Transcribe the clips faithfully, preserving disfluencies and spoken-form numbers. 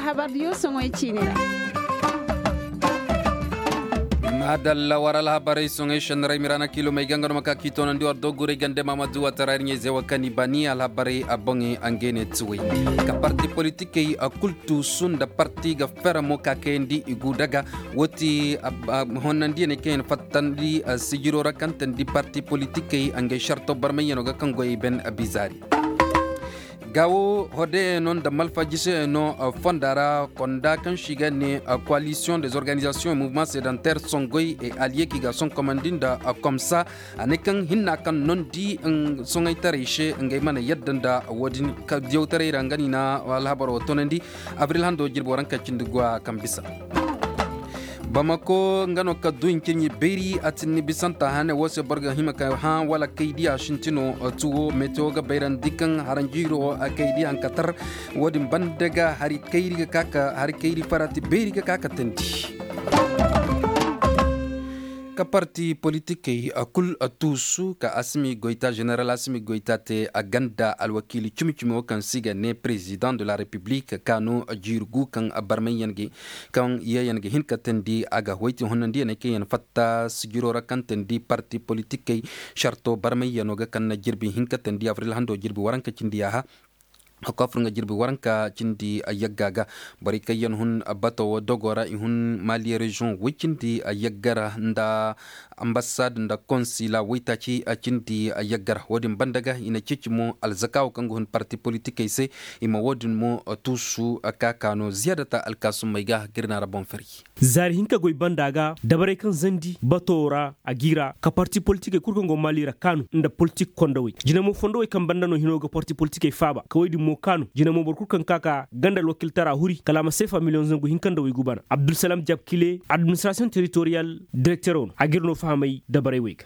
Habar diyo soŋoy ciine ra. Maadalla war alhabarey soŋey šenniray miraana kiilomey ga nga no ma ka k'i toonandi war dogurey gande maamadu watara ir ɲey-izey wo kaŋ i bani alhabarey a boŋey a ngey ne tuwey. Ka parti politikey a kul tuusu nda parti ga fera mo ka kayandi i gu daga. Wo ti honnandiyaney kaŋ yaŋ fattandi sijiro ra kaŋ teendi parti politikey a ngey šarto barmayyaŋo ga kaŋ goyey ben bizaari. Gaawo hodeyaŋo nda malfajiseyaŋo fonda ra konda kaŋ se i ga ne koalisiyoŋ des organizasiyoŋ et mouvement sedentaire songoy et aliyeki ga sonkomandi nda komsa. A ne kaŋ hinna kaŋ nondi soŋaytaray se ngey mana yadda nda wo-din ka diyawtaray ra nga no i na alhabar wo toonandi. Abril hando jirbi waranka cindi go a kaŋ bisa. Bamako nga no ka du i cin i bayri a tin ni bisanta hane wo se boro ga hima ka hã wala kaydi a sintino. Tuwo metewo ga bayrandi kaŋ haranjiiro kaydi hankatar. Wo-din banda ga hari kayri ga ka ka hari kayri farati bayri ga ka ka teendi. Ka parti politikey a kul a tuusu ka asimi goyta ženeral asimi goyta te a ganda alwakiili cimi-cimi wo kaŋ se i ga ne president de la republique kaanu jiiri gu kaŋ barmayyaŋ ga kaŋ yeeyaŋ ga hin ka teendi a ga wayti honnandiyaŋ kaŋ yaŋ fatta sijiro ra kaŋ teendi parti politikey sarto barmayyaŋo ga kaŋ na jirbi hin ka teendi abril hando jirbi waranka cindi yaaha. Hakku a fur nga jirbi waranka cindi yagga ga borey kaŋ yaŋ hun bato wo dogo ra i hun maliye reziyoŋ woy cindi yagga ra nda ambasad nda konsila woytaaci cindi yagga ra wo-din banda ga i na ceeci mo alzakaawo kaŋ ga hun parti politikey se i ma wo-din mo tuusu ka ka no ziyaadata alkaasummey ga ga ir na ra boŋ fari. Zaari hinka goy banda ga dabarey kaŋ zandi bato ra a g'i ra ka parti politikey kul kaŋ go maali ra kaanu nda politik kondowey jinamo fondowey kaŋ banda no hino ga parti politikey faaba ka woy din mo kaanu jinamo boro kul kaŋ ka ka ganda alwakiltara huri kala a ma seefa miliyoŋ zangu hinka nda woy gubana abdulsalam jabkile administrasiyoŋ teritoriyal direktero no a g'ir no fahamay dabarey wey ga.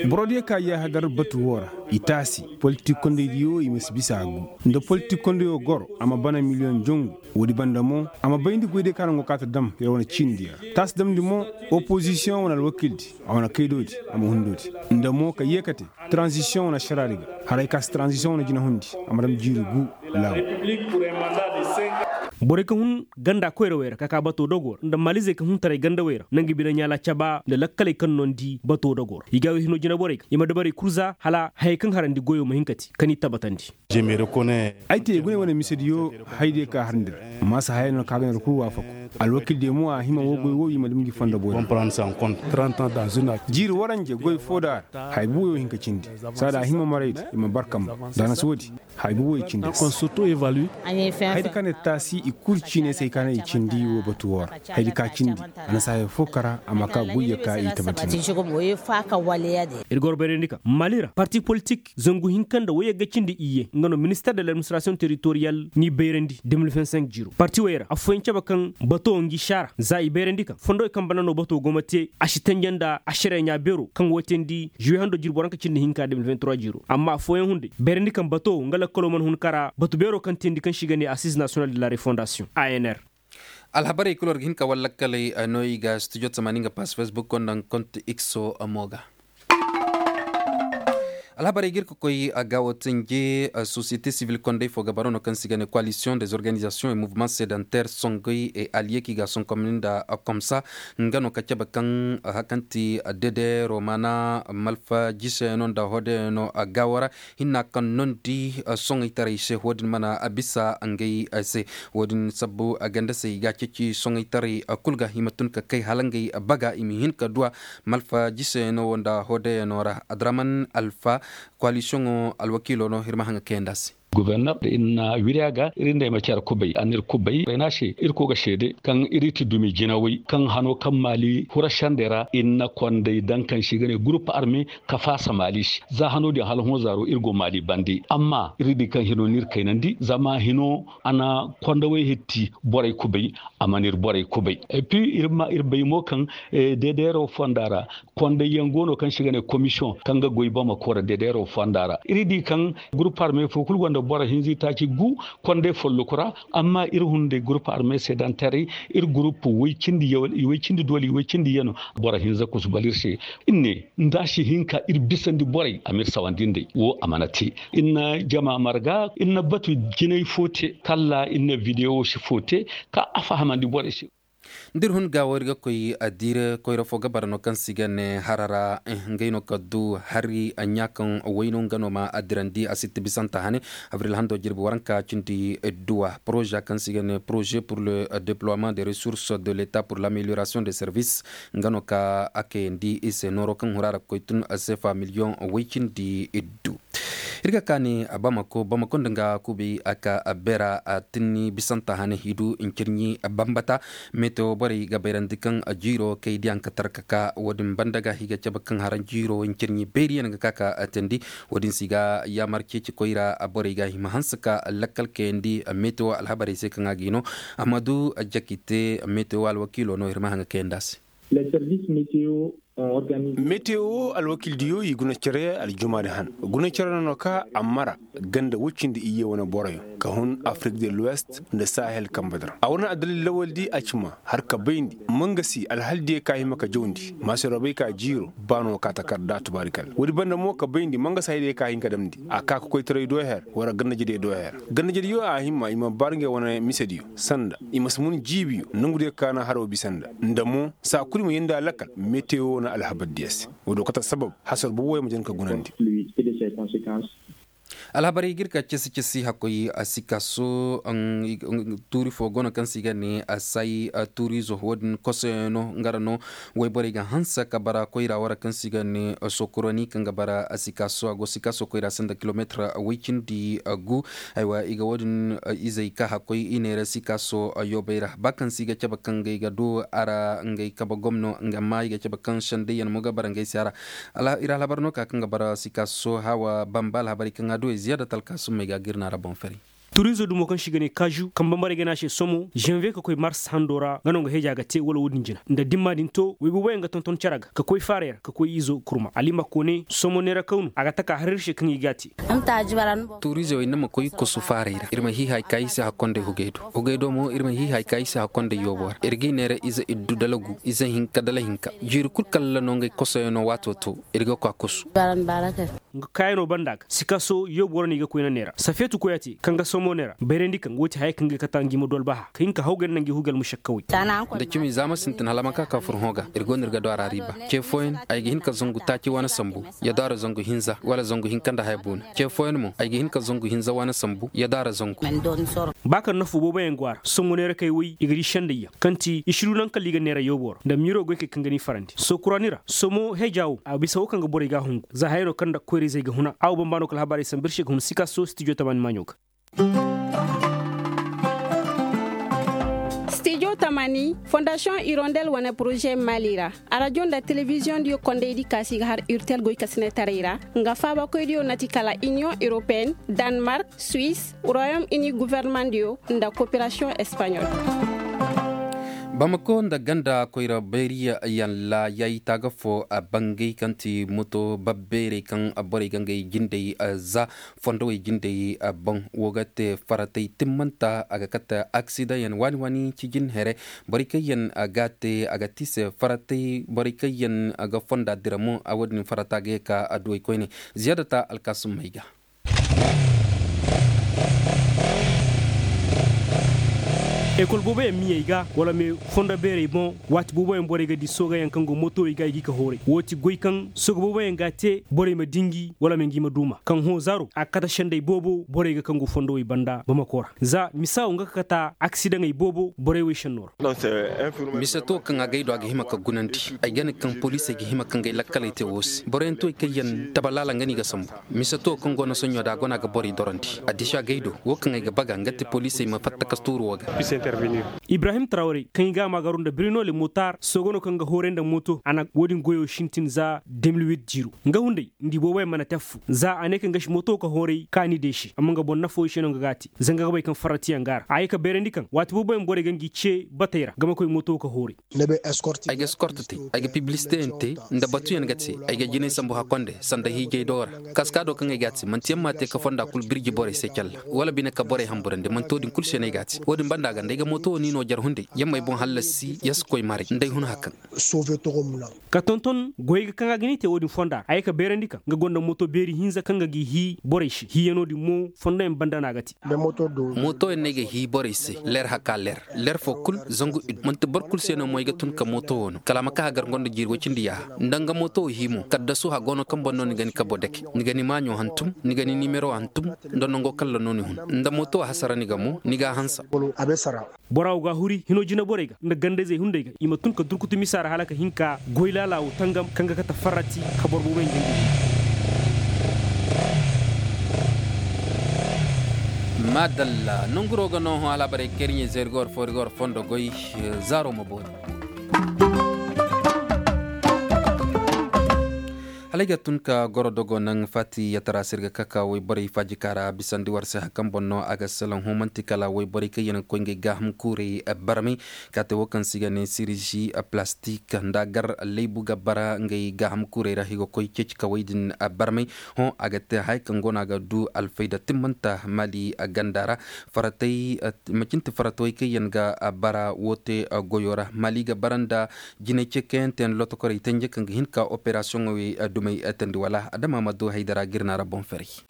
Borodiyo ka yaaha gar batu woo ra i taasi politik kondaydiyo i ma si bisa a gu nda politik kondayo goro a ma bana miliyoŋ jongu. Woodi banda mo a ma bayndi goydiyo ka naŋ go kaa ta dam yer wane ciinidiyo ra taasi damndi mo opozisiyoŋ wane alwakildi a wane kaydoodi a ma hundoodi nda mo ka yeekate taranzisiyoŋ wane ašaraadi ga haray ka si taranzisiyoŋ wane jinahundi a ma dam jiiri gu. Laawo. Borey kaŋ hun ganda koyrawey ra ka ka bato dogoo ra nda maalizey kaŋ hun taray gandawey ra na nga bine ɲaala caba nda lakkaley kaŋ nondi bato dogoo ra i ga wey hino jinaborey ga i ma dabarey kul za hala hayey kaŋ harandi goyo ma hin ka te ka ni tabatandi. Ay te gune wane misediyo haydiyo ka harandi ra maasa hayey no ka ga ner kul waafaku. Alwakildiyo mo a hima woo goy woo i ma dam ngi fondo boori. Jiiri waranje goy foo da a ra haya buuyo hin ka cindi. Saada a hima maraydi i ma barkam ba da a na si woodi haya buuyo i cindi. Haydi ka ne taasi i kul ciine se ay ka ne i cindi woo batu woo ra. Haydi ka cindi a na si haya foo kara a ma ka goyyo ka i tabatindi. Ir goro bayrandi kaŋ mali ra parti politik zangu hinka nda woyagga cindi iyye nga no minister de l'administration territorial n'i bayrandi de mil vingt cinq jiiro parti wey ra affooyaŋ cabe kaŋ bato ngi saara za i bayrandi kaŋ fondowey kaŋ banda no bato go ma te a si tanja nda ašariya ɲaa beero kaŋ woo teendi juwe hando jirbi waranka cindi hinka de mil vingt trois jiiro amma affooyaŋ hunday bayrandi kaŋ bato nga lakkalo mana hun kara batu beero kaŋ teendi kaŋ se i ga ne assize national de la refondation anr. Alhabarey kul war ga hin ka war lakkaley no i ga studio tamaani nga pass facebook nda nga konti x mo ga. Alhabarey ga ir ka koy a ga wo tinje sosiyete sivil kondey fo ga baro no kaŋ se i ga ne koalisiyoŋ des organizasiyoŋ et mouvement sedentaire songoy et aliyeki ga sonkomni nda komsa. Nga no ka cabe kaŋ hari kaŋ ti dedero maana malfa jiseyano nda hodeyano a gaawo ra. Hinna kaŋ nondi soŋaytaray se wo-din mana bisa ngey se. Wo-din sabbu ganda se i ga a ceeci soŋaytaray kul ga i ma tun ka kay hala ngey baga i ma hin ka duwa. Malfa jiseyano wo nda hodeyano ra adraman alfa koalisiyoŋo alwakiilo no ir ma haŋ ga kayandi a se. Goforner ir na wiri a ga ir nda ay ma care kubay a na ir kubay ay ne a se ir koy ga seede kaŋ ir ti dumi jinawey kaŋ hano kaŋ maali hura sendey ra ir na konday daŋ kaŋ se i ga ne gurup arme ka faasa maali se za hano din hala hõ zaaro ir go maali bande amma ir di kaŋ hino n'ir kaynandi zama hino a na kondawey hitti borey kubay a mana ir borey kubay. Et puis ir bay mo kaŋ deedeero fonda ra kondayyaŋ go no kaŋ se i ga ne komisiyoŋ kaŋ ga goy bamako ra deedeero fonda ra ir di kaŋ gurup arme fo kulu gonda Boro hinza itaaci gu konday folloku ra. Amma ir hunday gurupu arme sedantaray, ir gurupu way cindi dooli way cindi yano. Boro hinza kusu bala ir se. Ir ne nda a si hin ka ir bisandi borey a ma ir sawandi nd'ey wo a mana te. Ir na jama marga ir na batu jinay fo te kalla ir na videwo fo te ka a fahamandi borey se. Nda ir hun ga wo ir ga koy a diire koyra fo ga bara no kaŋ se i ga ne harara. Ngey no ka du hari ɲaa kaŋ wayno nga no ma a dirandi a sitti bisanta hane. Abril hando jirbi waranka cindi duwa poroza kaŋ se i ga ne poroze pour le deploiement de resource de l'etat pour l'amélioration de service. Nga no ka a kayandi i se nooro kaŋ hura ra ga koy tun sefa miliyoŋ way cindi iddu. Ir ga kaani bamako bamako nda nga kubay a ka beera a tinni bisanta hane i du ncirɲi bambata. Metewo borey ga bayrandi kaŋ jiiro kay diyaŋ ka tarkaka wo- din banda ga i ga cabe kaŋ haran jiiro ncirɲi beeriyaŋ ga ka ka teendi. Wo- din se i ga yaamar ceeci koyra borey ga i ma hanse ka lakkal kayandi metewo alhabarey se kaŋ a ga i no. Amma du jakite metewo alwakiilo no ir ma haŋ ga kayandi a se. Metewo alwakiildiyo i guna care aljumaadi han guna care no no ka a mara ganda woy cindi iyye wane boroyo ka hun afrik de l'ouest nda sahel kambe di ra a wane addalil lawaldi a ci ma har ka bayndi mangasi alhaldiyo ka hima ka jawndi maasiroo bay ka jiiro ba no ka takarda tubaarikal woodi banda mo ka bayndi mangasi hayadiyo ka hin ka damndi a ka ka koytaray do her wala gandajediyo do her gandajediyo a hima i ma bar ngey wane misediyo sanda i ma si mun jiibiyo nongudiyo ka na haro bisa nda nda mo saa kulu i ma yeendi a lakkal metewo na alhabar diya se wo- din kate assabab hasar booboyaŋ ma jin ka gunandi. Alhabarey ga ir ka cisi cisi hakkoy a si ka so tuuri fo go no kaŋ se i ga ne a say tuurizo wo- din kosoyaŋ no nga ra no wayborey ga hanse ka bara koyra wara kaŋ se i ga ne sokoroni kaŋ ga bara a si ka so a go si ka so koyra sanda kilometir way cindi gu. Aywa i ga wo- din izey ka hakkoy i neera si ka so yoobey ra ba kaŋ se i ga cabe kaŋ ngey ga du a ra ngey kabe gomno nga ma i ga cabe kaŋ sendayyaŋ mo ga bara ngey se a ra. Ir alhabar no ka kaŋ ga bara si ka so hawa bamba alhabarey kaŋ a du ay ziyaada talka summey ga ga ir na a ra boŋ fari. Turizo dumo kaŋ se i ga ne kaazu kambe marey ga ne a se somo zanviye ka koy mars hando ra nga no nga heeja ga te wala wo- din jina nda dimma din to way booboyaŋ ga tonton cere ga ka koy faarey ra ka koy izo kurma alima koone somo neera kawnu a ga taka har ir se kaŋ i ga a te. Tuuriize wey ni ma koy kosu faarey ra ir ma hiihay ka i se hakkondey hugey do hugey do mo ir ma hiihay ka i se hakkondey yoobo ra ir ga i neera ize iddu dalagu ize hinka dala hinka jiiri kul kalla no ngey kosoyaŋo waato to ir ga koy a kosu. Nga kaayanoo banda ga sikaso yoobo ra no i ga koyna neera safeetu koy a te kaŋ ga somo neera bayrandi kaŋ wo ti haya kaŋ ga kata ngi ma du albaha ka hin ka hawgay nda ngi hugey almušakkawey. Da cimi za ma sintin hala ma ka ka furhõ ga ir go no ir ga du a ra riiba ce fooyaŋ ay ga hin ka zangu taaci waana sambu ya du a ra zangu hinza wala zangu hinka nda haya boona ce fooyaŋ mo ay ga hin ka zangu hinza waana sambu ya du a ra zangu. Ba kaŋ nafo booboyaŋ go a ra sohõ neerakey woy i ga di sendayyaŋ kaŋ ti i si du naŋ kala i ga neera yoobo ra nda miiroo goykey kaŋ ga ni farandi sookuraani ra sohõ heeja wo a bisa wo kaŋ ga borey ga a hungu za haya no kaŋ nda koyra-izey ga huna a wo bambaanoo kala habaarey sambu ir se ga hun sikaso stijo tamaani maaɲo ga. Stijo tamaani fondasiyoŋ irondel wane poroze maali ra arajo nda telebiziyoŋ diyo kondaydi kaasi ga har urtel goykasinetaray ra nga faabakoydiyo na ti kala iniyoŋ europeen danmark suis royom ini gofornamaŋ diyo nda koperasiyoŋ espaɲol. Bamako nda ganda koyra bayriyaŋ la yayi taaga fo a bangay kaŋ ti moto babbeerey kaŋ borey ga ngey jindey za fondowey jindey boŋ wo ga te faratey timmanta a ga kate aksidaŋ yaŋ waani waani cijin here borey kaŋ yaŋ ga te a ga ti se faratey borey kaŋ yaŋ ga fonda dira mo a wo- din farata ga ye ka adduwey koyne ziyaadata alkaasumey ga. Ekol booboyaŋ miyey ga wala me fondo beerey boŋ waati booboyaŋ borey ga di soogayaŋ kaŋ go mootowey ga i ga i ka hooray wo ti goy kaŋ sooga booboyaŋ ga a te borey ma dinji wala me ngi ma duuma kaŋ hõ zaaro a ga kate sendey boobo borey ga kaŋ go fondowey banda bamako ra za misa wo nga ga kata aksidaŋey boobo borey wey sennoo ra. Mise to kaŋ a gay do a ga hima ka gunandi ay gane kaŋ poliisey ga hima ka ngey lakkaley te wo se boroyaŋ to i kaŋ yaŋ tabalaala nga no i ga sambu. Mise to kaŋ go no soɲo da a go no a ga borey dorandi addiso a gay do wo kaŋ ay ga baga nga ti poliisey ma fatta ka tuuru wo ga. Ibrahim tarawre kaŋ i ga a maagaru nda birino le motar soogo no kaŋ ga hooray nda mooto a na wo-din goyo sintin za de mil wit jiiro. Nga hunday nda i booboyaŋ mana te affu za a ne kaŋ ga si mooto ka hooray kaani de se amma nga boŋ nafo i se no nga ga a te. Zanga ga bay kaŋ farratiyaŋ ga a ra a ye ka bayrandi kaŋ waati booboyaŋ borey ga ngi ce batey ra nga ma koy mooto ka hooray. Ay ga eskorte te ay ga pibilisiteyaŋ te nda batuyaŋ ga te. Ay ga jinay sambu hakkonde sanda hiijay do ra kaska do kaŋ ay ga a te manti yaŋ m'a te ka fonda kul birji borey se calla wala bine ka borey hamburandi manti wo-din kul se no ay ga a te wo-din banda ga nda ay ga mooto wo ni no jar hunday yaŋ m'ay boŋ hallasi ya si koy maray nda ay hun hakaŋ. Ka tonton goyey ga kaŋ a ga ni te wo-din fonda ra a ye ka bayrandi kaŋ nga gonda mooto beeri hinza kaŋ ga g'i hii borey se hiiyano din mo fondoyaŋ banda no a ga te. Mootoyaŋ no ay ga hii borey se leer haka leer leer fo kul zangu id manti boro kul se no mo ay ga tun ka mooto wo no kala a ma ka hagar nga nda jiiri woy cindi yaaha nda nga mooto wo hii mo kaddasu hago no kaŋ boŋ no ni ga ni kabo dake ni ga ni maaɲo hantum ni ga ni nimero hantum nda nango kaŋ ra no ni hun nda mooto wo hasara ni ga mo ni ga a hansa. Bora wo ga a huri hino jineborey ga nda gandayzey hunday ga i ma tun ka durkutu misa ra hala ka hin ka goy laala wo tangam kaŋ ga kate farrati ka boro booboyaŋ jangi. Maadalla nonguro ga no hõ alhabarey kaŋ ir ɲey zeeri ga war foo ir ga war fondo goy. Zaaro ma boori. Hala ay ga tun ka goro dogo naŋ faati yatara se ir ga ka ka woyborey faajika ra bisandi war se hari kaŋ boŋ no a ga salaŋ hõ man'ti kala woyborey kaŋ yaŋ ga koy ngey gaaham kuurey barmay. Ka te wo kaŋ se i ga ne sirizi plastik nda a gar laybu ga bara ngey gaaham kuurey ra i ga koy ceeci kawey din barmay. Hõ a ga te haya kaŋ go no a ga du alfayda timmanta maali ganda ra. Faratey macin ti faratawey kaŋ yaŋ ga bara wo te goyo ra maali ga bara nda jinay ceekayanteyaŋ lotokorey tanje kaŋ ga hin ka operasiyoŋey dumey teendi wala adama ma du haydara ga ir na ra boŋ ferey.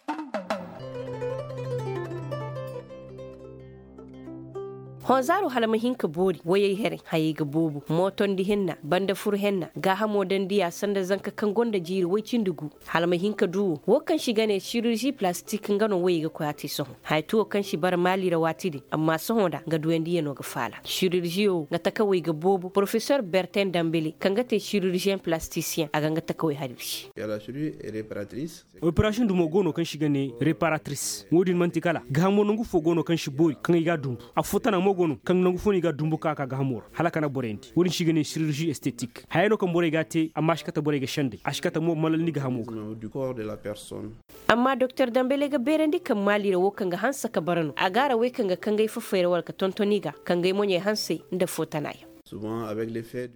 Hõ zaaro hala ma hin ka boori wayey herey hayey ga boobo mootondi henna banda fur henna gaahamo dandiya sanda zanka kaŋ gonda jiiri woy cindi gu. Hala ma hin ka du wo wo kaŋ se i ga ne sirizi palastik nga no wayey ga koy a te sohõ haya ti wo kaŋ se i bara maali ra waati din amma sohõ nda nga duyandiyano ga faala siriziyo nga takawey ga boobo porofesor bertin dambele kaŋ ga te siriziyeŋ palastisiyeŋ a ga nga takawey har ir se. Operasiyoŋ dumo go no kaŋ se i ga ne reparatris wo-din man'ti kala gaahamo nangu fo go no kaŋ si boori kaŋ i ga a dumbu. Affoo tana mo go no kaŋ nangu fo no i ga a dumbu ka ka gaahamo ra hala a kana borayandi wo-din se i ga ne sirizi estetik haya no kaŋ borey ga a te amma a si kate borey ga senday a si kate mo malalndi gaahamo ga. Amma doktor dambele ga beerandi kaŋ maali ra wo kaŋ ga hanse ka bara no a ga a ra wey kaŋ ga kangay fafay ra wala ka tonton i ga kangay moɲey hansey nda foo tana yaŋ.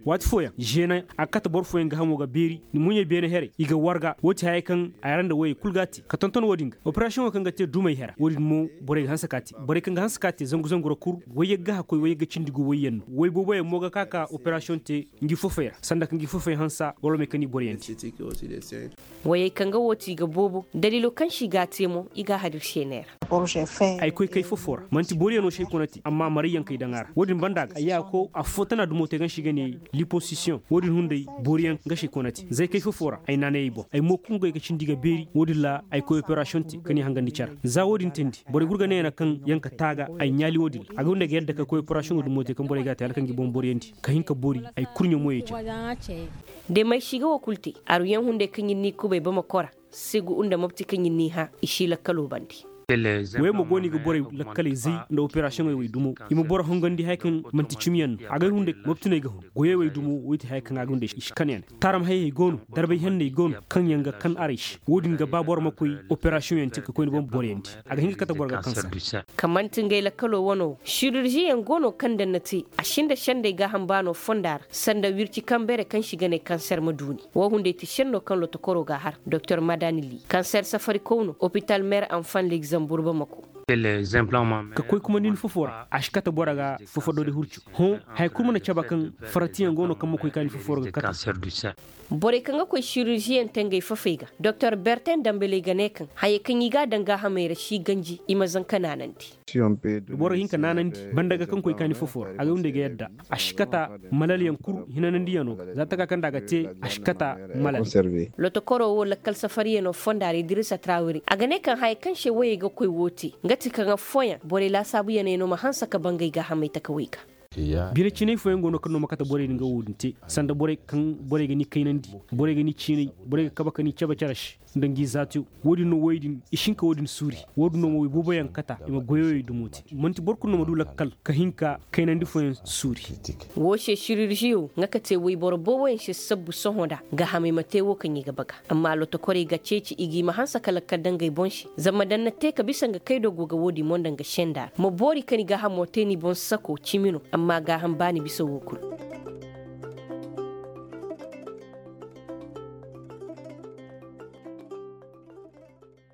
Waati fooyaŋ žeena a ga kate boro fooyaŋ gaahamo ga beeri ni muɲey beene herey i ga warga wo ti hayey kaŋ a yara nda woyey kul ga a te ka tonton wo-din ga operasiyoŋo kaŋ ga te dumey hera wo-din mo borey ga hanse ka a te borey kaŋ ga hanse ka a te zangu zangu ra kul woyey ga gaha koy woyey ga cindi gu woyyaŋ no woy booboyaŋ mo ga ka ka operasiyoŋ te ngi fofey ra sanda ka ngi fofey hansa wala may kaŋ i boriyandi. Wayey kaŋ ga wo ti i ga boobo daliilo kaŋ se i ga a te mo i ga a hadir seeney ra. Ay koy kay fofo ra man'ti booriyaŋo se ay kona te amma marayyaŋ kay daŋ a ra wo-din banda ga ay ya ko affoo tana dumo te kaŋ se i ga ne liposisiyoŋ wo-din hunday booriyaŋ nga se ay kona te zay kay fofo ra ay naanayey boŋ ay mo kungay ga cindi ga beeri wo-din ra ay koy operasiyoŋ te ka ni hangandi care. Za wo-din teendi borey gurga neena kaŋ yaŋ ka taaga ay ɲaali wo-din ra a ga hunday ga yadda ka koy operasiyoŋo dumo te kaŋ borey ga a te hala kaŋ ga i boŋ booriyandi ka hin ka boori ay kurɲe moyey care. De may si ga wo kul te aruyaŋ hunday kaŋ ir n'i kubay bamako ra segu nda mopti kaŋ ir n'i hã i si lakkalo bandi. Woyey mo go no i ga borey lakkaley zay nda operasiyoŋey wey dumo i ma boro hongandi haya kaŋ man'ti cimiyaŋ no a gay hunday mopti no ay ga hun goyey wey dumo wey ti haya kaŋ a ga hunday i si kan yaŋ. Taaram hayey go no darbay henney go no kaŋ yaŋ ga kan aray se wo-din ga ba boro ma koy operasiyoŋ yaŋ te ka koy ni boŋ boroyandi a ga hin ga kate boro ga kansa. Ka man'ti ngey lakkalo wano wo siruržiyaŋ go no kaŋ daŋ na te a sinda sendey gaaham baano fonda ra sanda wirci kambere kaŋ se i ga ne kanser ma duuni. Wo hunday ti senno kaŋ lotokoro ga a har doktor madanili kanser safarikow no opital mer anfan legzambur bamako. Ka koy kumandi ni fofo ra a si kate boro ga fofo doori hurcu. Hõ haya kul mana cabe kaŋ faratiyaŋ go no kaŋ ma koy ka ni fofo ra ga kate. Borey kaŋ ga koy siruržiyaŋ te ngey fofey ga doktor bertin dambeley ga ne kaŋ hayey kaŋ i ga a daŋ gaahamey ra si ganji i ma zanka naanandi. Boro ga hin ka naanandi banda ga kaŋ koy kaani fofo ra a ga wunda i ga yadda a si kata malal yaŋ kul hinanandi yaŋo ga za taka kaŋ da a ga te a si kata malal. Lotokoro wo lakkal safari yaŋo fonda ra idirisa trawiri a ga ne kaŋ haya kaŋ se woyey ga koy wo te nga ti kaŋ affooyaŋ borey laasaabu yaŋey no ma hanse ka bangay gaahamey takawey ga. Bine cinay fooyaŋ go no kaŋ no ma kate borey din ga wo din te sanda borey kaŋ borey ga ni kaynandi borey ga ni ciinay borey ga kabe ka ni cabe care se. Nda ngi zaatiyo. Wo-din no woy din i si hin ka wo-din suuri. Wo-din no ma woy booboyaŋ kata i ma goyoyey dumo te. Man'ti boro kulu no ma du lakkal ka hin ka kaynandi fooyaŋ suuri. Woo se siriržiyo nga ka te woyboro booboyaŋ se sabbu sohõ nda gaahamey ma te wo kaŋ i ga baga. Amma lotokorey ga ceeci i g'i ma hanse ka lakkal daŋ ngey boŋ se. Zama daŋ na te ka bisa nga kaydo go ga wo-din mo nda nga senda ra ma boori ka ni gaahamo te ni boŋ sako cimi no amma gaaham baani bisa wo kulu.